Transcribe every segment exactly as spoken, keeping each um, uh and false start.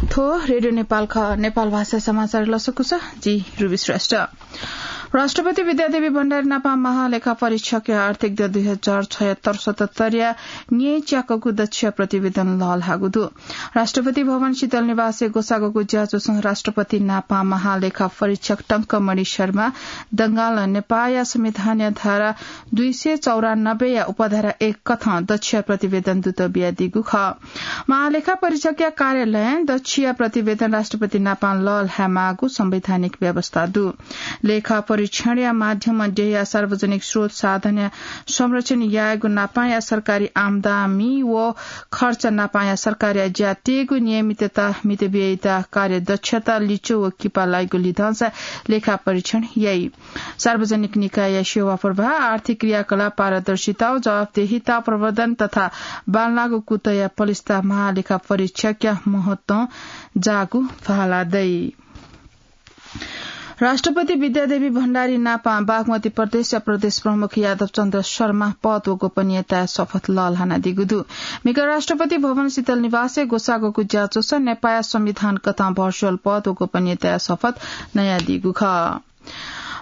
थ्व रेडियो नेपाल खः। नेपाल भाषा समाचार लसकुस, जि रुबी श्रेष्ठ। राष्ट्रपति विद्यादेवी भण्डारी नापा महालेखा परीक्षक आर्थिक दे दुई हजार छयत्तर सतहत्तर या न्ये च्याकगु दक्ष प्रतिवेदन लःल्हाःगु दु। राष्ट्रपति भवन शीतल निवासय् ग्वसागःगु ज्याझ्वलय् राष्ट्रपति नापा महालेखा परीक्षक टंकमणि शर्मा दंगाल नेपाःया संविधानया धारा दुई सय चौरानब्बे या उपधारा एक कथं दक्ष प्रतिवेदन दुत बियादीगु खः। महालेखा परीक्षकया कार्यालयं दक्षया प्रतिवेदन राष्ट्रपति नापां लःल्हायेमाःगु संवैधानिक व्यवस्था दु। लेखा परीक्षणया माध्यमं देय्‌या सार्वजनिक स्रोत साधनया संरक्षण यायेगु नापांया सरकारी आम्दानी व खर्च नापांया सरकारया ज्या तेगु नियमितता, मितव्ययिता, कार्यदक्षता, लिच्वः व किपा लाइगु लिधंसा लेखा परीक्षण याइ। सार्वजनिक निकायया सेवा प्रवाह, आर्थिक क्रियाकलाप, पारदर्शिता व जवाफदेहिता प्रवर्धन तथा बांलाःगु कुतःया पलिस्था महालेखा परीक्षकया महत्वं जाःगु भाला दइ। राष्ट्रपति विद्यादेवी भण्डारी नापां बागमती प्रदेशया प्रदेश प्रमुख यादव चन्द्र शर्मा पद व गोपनीयताया शपथ लःल्हानादीगु दु। म्हिगः राष्ट्रपति भवन शीतल निवासय् ग्वसागःगु ज्याझ्वलय् नेपाःया संविधान कथं भर्चुअल पद व गोपनीयताया शपथ नयादीगु खः।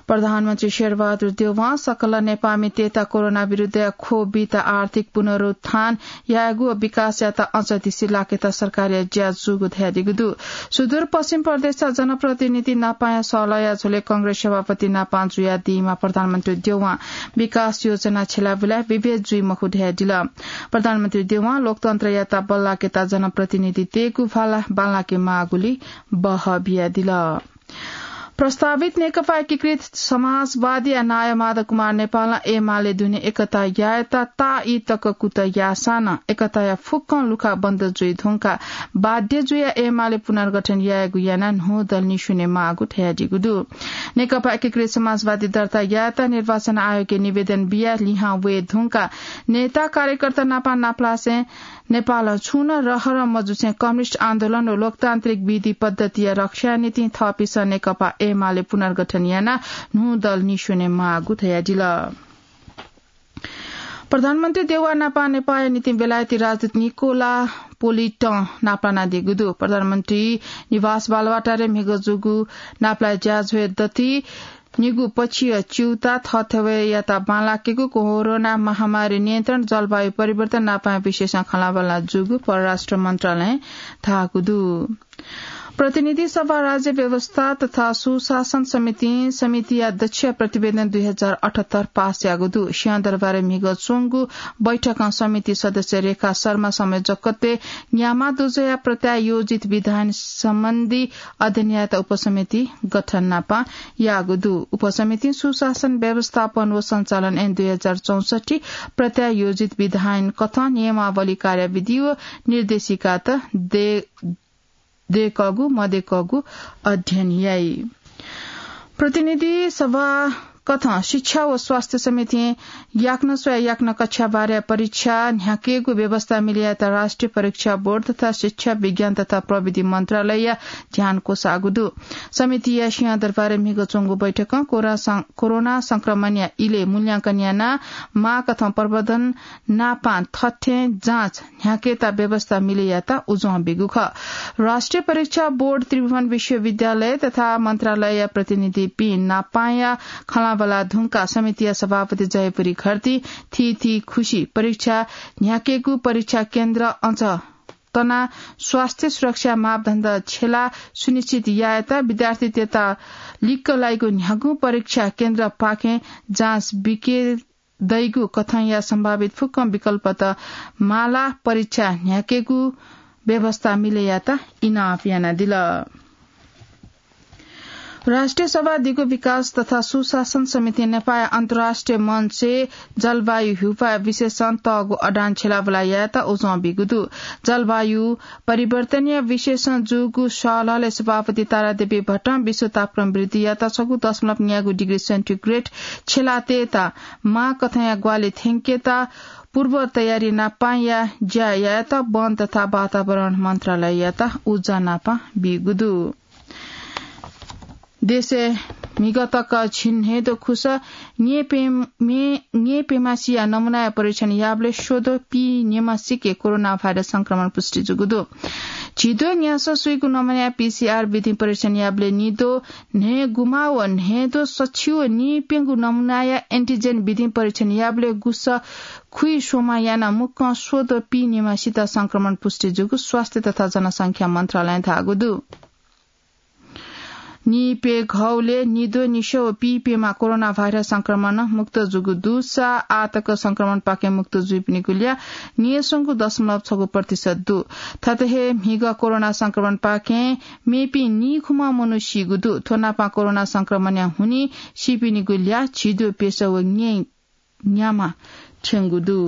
प्रधानमन्त्री शेरबहादुर देउवां सकल नेपाःमितय्‌त कोरोना विरुद्धया ख्वः बीत आर्थिक पुनरुत्थान यायेगु व विकासयात अझ दिसे लाकेत सरकारया ज्या जूगु धयादीगु दु। सुदूरपश्चिम प्रदेशया जनप्रतिनिधि नापांया सहलहया झ्वलय् कांग्रेस सभापति नापां जुयादीम्ह प्रधानमन्त्री देउवां विकास योजना छ्यलाबुलाय् विभेद जुइ मखु धयादिल। प्रधानमन्त्री देउवां लोकतन्त्रयात बल्लाकेत जनप्रतिनिधितय्‌गु भाला बांलाके माःगुलिं बहः बियादिल। प्रस्तावित नेकपा एकीकृत समाजवादीया नायः माधव कुमार नेपालं एमाले दुने एकता यायेत ताःई तक कुतः याःसां नं एकताया फुक्कं लुखा बन्द जुइ धुंकाः बाध्य जुयाः एमाले पुनर्गठन यायेगु यानाः न्हू दल निस्वने माःगु धयादीगु दु। नेकपा एकीकृत समाजवादी दर्ता यायेत निर्वाचन आयोगय् निवेदन बियाः लिहां वये धुंकाः नेता कार्यकर्ता नापं नापलासें नेपालं छुं नं रहरं मजुसें कम्युनिस्ट आन्दोलन व लोकतान्त्रिक विधि पद्धतिया रक्षाया निंतिं थःपिन्सं नेकपा एमाले पुनर्गठन यानाः न्हू दल निस्वने माःगु धयादिल। प्रधानमन्त्री देउवा नापं नेपाःया निंतिं बेलायती राजदूत निकोला पोलिटं नापलानादीगु दु। प्रधानमन्त्री निवास बालुवाटारय् म्हिगः जूगु नापलाये ज्याझ्वलय् दथुइ निगू पक्षीय च्यूताः थःथवय्‌यात बांलाकेगु, कोरोना महामारी नियन्त्रण, जलवायु परिवर्तन नापं विशेषं खँल्हाबल्हा जूगु परराष्ट्र मन्त्रालयं धाःगु दु। प्रतिनिधि सभा, राज्य व्यवस्था तथा सुशासन समितिं समितिया दक्ष प्रतिवेदन दुई हजार अठहत्तर पास याःगु दु। सिंहदरबारय् म्हिगः च्वंगु बैठकं समिति सदस्य रेखा शर्मा संयोजकत्वय् न्याम्ह दुजःया प्रत्यायोजित विधायन सम्बन्धी अध्ययन यायेत उपसमिति गठन नापं याःगु दु। उपसमितिं सुशासन व्यवस्थापन व सञ्चालन ऐन दुई हजार चौसट्ठी प्रत्यायोजित विधायन कथं नियमावली, कार्यविधि व निर्देशिकात दे-, दयेकःगु मदयेकःगु अध्ययन याइ। प्रतिनिधि सभा कथं शिक्षा व स्वास्थ्य समितिं याकनं स्वयाः याकनं कक्षा बाह्रया परीक्षा न्ह्याकेगु व्यवस्था मिले यायेत राष्ट्रिय परीक्षा बोर्ड तथा शिक्षा, विज्ञान तथा प्रविधि मन्त्रालयया ध्यान क्वसाःगु दु। समितिया सिंहदरबारय् म्हिगः च्वंगु बैठकं कोरा सं-, कोरोना संक्रमणया इलय् मूल्यांकन यानाः माःकथं प्रवर्धन नापं थथें जाँच न्ह्याकेत व्यवस्था मिले यायेत उजं बीगु खः। राष्ट्रिय परीक्षा बोर्ड, त्रिभुवन विश्वविद्यालय तथा मन्त्रालयया प्रतिनिधिपिं नापंया खँल्हाबल्हा धुंकाः समितिया सभापति जयपुरी घरतीं थीथी खुसि परीक्षा न्ह्याकेगु, परीक्षा केन्द्र अझ तनाः स्वास्थ्य सुरक्षा मापदण्ड छ्यलाः सुनिश्चित यायेत विद्यार्थीतय्‌त लिक्क लाइगु न्ह्यागुं परीक्षा केन्द्रपाखें जाँच बिके दइगु कथंया सम्भावित फुक्क विकल्पत मालाः परीक्षा न्ह्याकेगु व्यवस्था मिले यायेत इनाप यानादिल। राष्ट्रिय सभा दिगु विकास तथा सुशासन समितिं नेपाःया अन्तर्राष्ट्रिय मञ्चय् जलवायु ह्युपाः विषयसं तःगु अडान छ्यलाबुला यायेत उजं बीगु दु। जलवायु परिवर्तनया विषयसं जूगु सहलहलय् सभापति तारादेवी भट्टं विश्व तापक्रम वृद्धियात छगू दशमलव न्यागू डिग्री सेन्टिग्रेड छ्यलातयेत माःकथंया ग्वाहालि थ्यंकेत पूर्व तयारी नापंया ज्या यायेत वन तथा वातावरण मन्त्रालययात उजं नापं बीगु दु। देशय् म्हिगः तक झिंन्हय्दँ खुसः न्येपे-, मे-, न्येपेमासिया नमुनाया परीक्षण याःबलय् स्वद्वः पीन्येमासिके कोरोना भाइरस संक्रमण पुष्टि जूगु दु। झिद्वः न्यासः सुइगु नमुनाया पीसीआर विधि परीक्षण याबलय् निद्वः न्हय्‌गुम्ह व न्हय्‌द्वः सछि व नीप्यंगु नमुनाया एन्टिजेन विधि परीक्षण याबलय् गुसः खुइस्वम्ह यानाः मुक्कं स्वद्वः पीनिम्हसित संक्रमण पुष्टि जूगु स्वास्थ्य तथा जनसंख्या मन्त्रालयं धाःगु दु। नीप्यघौलय् निद्वः निस्वः व पीप्यम्ह कोरोना भाइरस संक्रमणं मुक्त जूगु दुसा आःतक संक्रमणपाखें मुक्त जुइपिनिगु ल्याः न्यय्‌संगु दशमलव छगू प्रतिशत दु। थथे हे म्हिगः कोरोना संक्रमणपाखें मेपिं नीखुम्ह मनू सीगु दु। थ्व नापं कोरोना संक्रमणया हुनिं सीपिनिगु ल्याः झिद्वः प्यसः व न्यय् न्याम्ह थ्यंगु दु।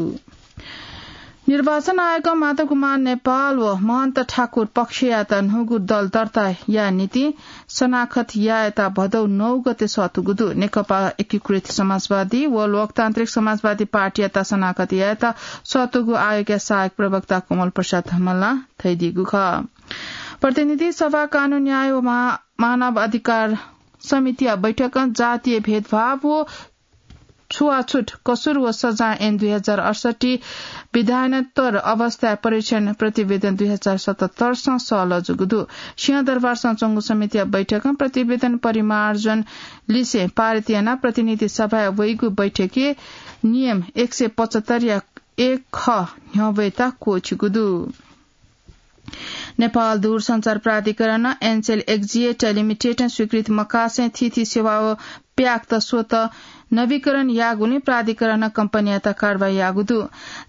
निर्वाचन आयोगं माधव कुमार नेपाल व महन्त ठाकुर पक्षयात न्हूगु दल दर्ता याये निंतिं सनाखत यायेत भदौ नौ गते सःतूगु दु। नेकपा एकीकृत समाजवादी व लोकतान्त्रिक समाजवादी पार्टीयात सनाखत यायेत सःतूगु आयोगया सहायक प्रवक्ता कमल प्रसाद धमलां धयादीगु खः। प्रतिनिधि सभा कानून न्याय व महा-, मानव अधिकार समितिया बैठकं जातीय भेदभाव व छुवाछुत कसुर व सजाय ऐन दुई हजार अडसट्ठी विधानोत्तर अवस्था परीक्षण प्रतिवेदन दुई हजार सतहत्तर सं सहलह जूगु दु। सिंहदरबारसं च्वंगु समितिया बैठकं प्रतिवेदन परिमार्जन लिसे पारित यानाः प्रतिनिधि सभाय् वइगु बैठकय् नियम एक सय पचहत्तरया एक ख न्ह्यब्वयेत क्वःछिगु दु। नेपाल दूरसञ्चार प्राधिकरणं एनसेल एक्जिएट लिमिटेडं स्वीकृति मकासें थीथी सेवा व प्याक्त स्वत नवीकरण याःगुलिं प्राधिकरणं कम्पनीयात कारवाही याःगु दु।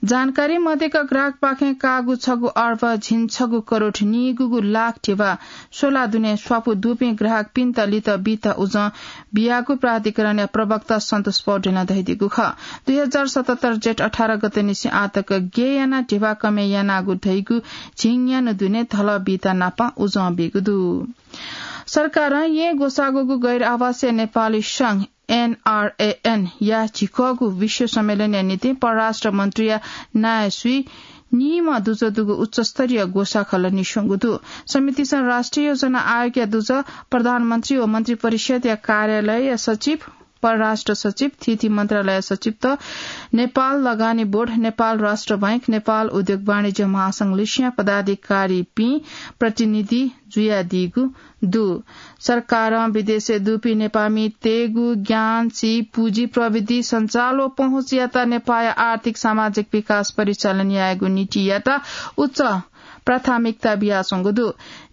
जानकारी मध्येका ग्राहकपाखें काःगु छगू अर्ब झिंछगू करोड नीगूगू लाख धिबा स्वला दुने स्वापू दुपिं ग्राहकपिन्त लित बीत उजं बियागु प्राधिकरणया प्रवक्ता सन्तोष पौडेलं धयादीगु खः। दुई हजार सतहत्तर जेठ अठार गते निसें आःतक गय् यानाः धिबा कमय् यानागु धइगु झिंन्यान्हु दुने धलः बीत नापं उजं बीगु दु। सरकारं येँ ग्वसाःगुगु गैर आवासीय नेपाली संघ, एनआरएएन, या झिकःगु विश्व सम्मेलनया निंतिं परराष्ट्र मन्त्रीया नायः स्वीनिम्ह दुजः दुगु उच्चस्तरीय ग्वसाः खलः निस्वंगु दु। समितिसं राष्ट्रिय योजना आयोगया दुजः, प्रधानमन्त्री व मन्त्री परिषदया कार्यालयया सचिव, परराष्ट्र सचिव, थीथी मन्त्रालय सचिवत, नेपाल लगानी बोर्ड, नेपाल राष्ट्र बैंक, नेपाल उद्योग वाणिज्य महासंघ लिसिया पदाधिकारीपिं प्रतिनिधि जुयादीगु दु। सरकारं विदेशय् दुपिं नेपाःमितय्‌गु ज्ञान, सीप, पुँजी, प्रविधि, सञ्चार व पहुँचयात नेपाःया आर्थिक सामाजिक विकास परिचालन यायेगु नीतियात उच्च प्राथमिकता बियाच्वंगु दु।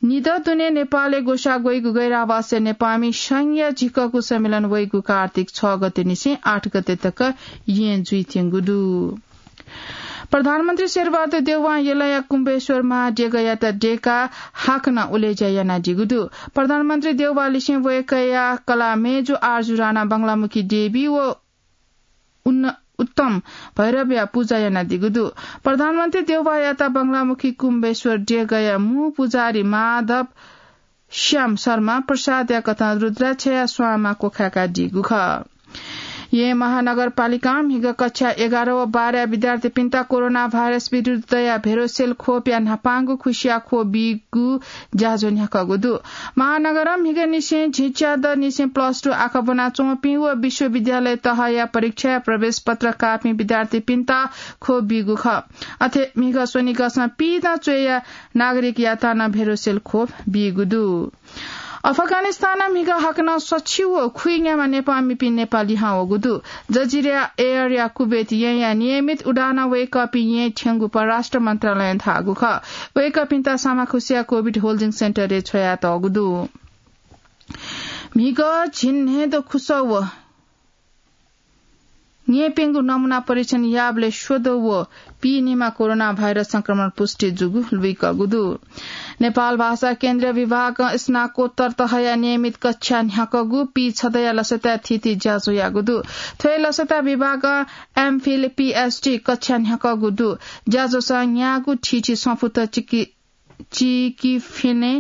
निदँ दुने नेपालय् ग्वसाः ग्वइगु गैर आवासीय नेपाःमि संघया झिकःगु सम्मेलन वइगु कार्तिक छ गते निसें आठ गते तक येँ जुइत्यंगु दु। प्रधानमन्त्री शेरबहादुर देउवां यलया कुम्बेश्वर महादेगःयात देकाः हाकनं उलेज्या यानादीगु दु। प्रधानमन्त्री देउवा लिसें वय्‌कःया कलाः मय्‌जु आरजु राणा बंगलामुखी देवी व उन्न-, उत्तम भैरवया पुजा यानादीगु दु। प्रधानमन्त्री देउवायात बंगलामुखी कुम्बेश्वर देगःया मू पुजारी माधव श्याम शर्मा प्रसादया कथं रुद्राक्षया स्वांमा क्वखाय्‌कादीगु खः। येँ महानगरपालिकां म्हिगः कक्षा एघार व बाह्रया विद्यार्थीपिन्त कोरोना भाइरस विरुद्धया भेरोसेल खोपया न्हापांगु खुसिया खोप बीगु ज्याझ्वः न्ह्याकःगु दु। महानगरं म्हिगःनिसें झिंच्यादँनिसें plus two आखः ब्वनाच्वंपिं व विश्वविद्यालय तहया परीक्षाया प्रवेश पत्र काःपिं विद्यार्थीपिन्त खोप बीगु खः। अथे म्हिगः स्वनिगःसं पीदँ च्वय्‌या नागरिकयात नं भेरोसेल खोप बीगु दु। अफगानिस्तानं म्हिगः हाकनं सछि व खुइन्याम्ह नेपाःमिपिं नेपाः लिहां वःगु दु। जजिरा एयरया कुवेत येँया नियमित उडानं वय्‌कःपिं येँ थ्यंगु परराष्ट्र मन्त्रालयं धाःगु खः। वय्‌कःपिन्त सामाखुसिया कोभिड होल्डिङ सेन्टरय् छ्वयातःगु दु। म्हिगः झिंन्हय्‌द्वः खुसः व न्यय्‌प्यंगु नमुना परीक्षण याःबलय् स्वद्वः व पीनिम्ह कोरोना भाइरस संक्रमण पुष्टि जूगु लुइकःगु दु। नेपाल भाषा केन्द्रीय विभागं स्नाकोत्तर तहया नियमित कक्षा न्ह्याकःगु पीछदँया लसताय् थीथी ज्याझ्वः याःगु दु। थ्व हे लसताय् विभागं एमफिल, पीएचडी कक्षा न्ह्याकःगु दु। ज्याझ्वःसं न्यागू थीथी संफुत चिकि-, चिकिफिने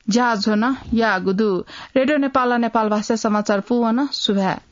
ज्याझ्वः नं याःगु दु। रेडियो नेपालं नेपाल भाषा समाचार पूवन। सुभाय्।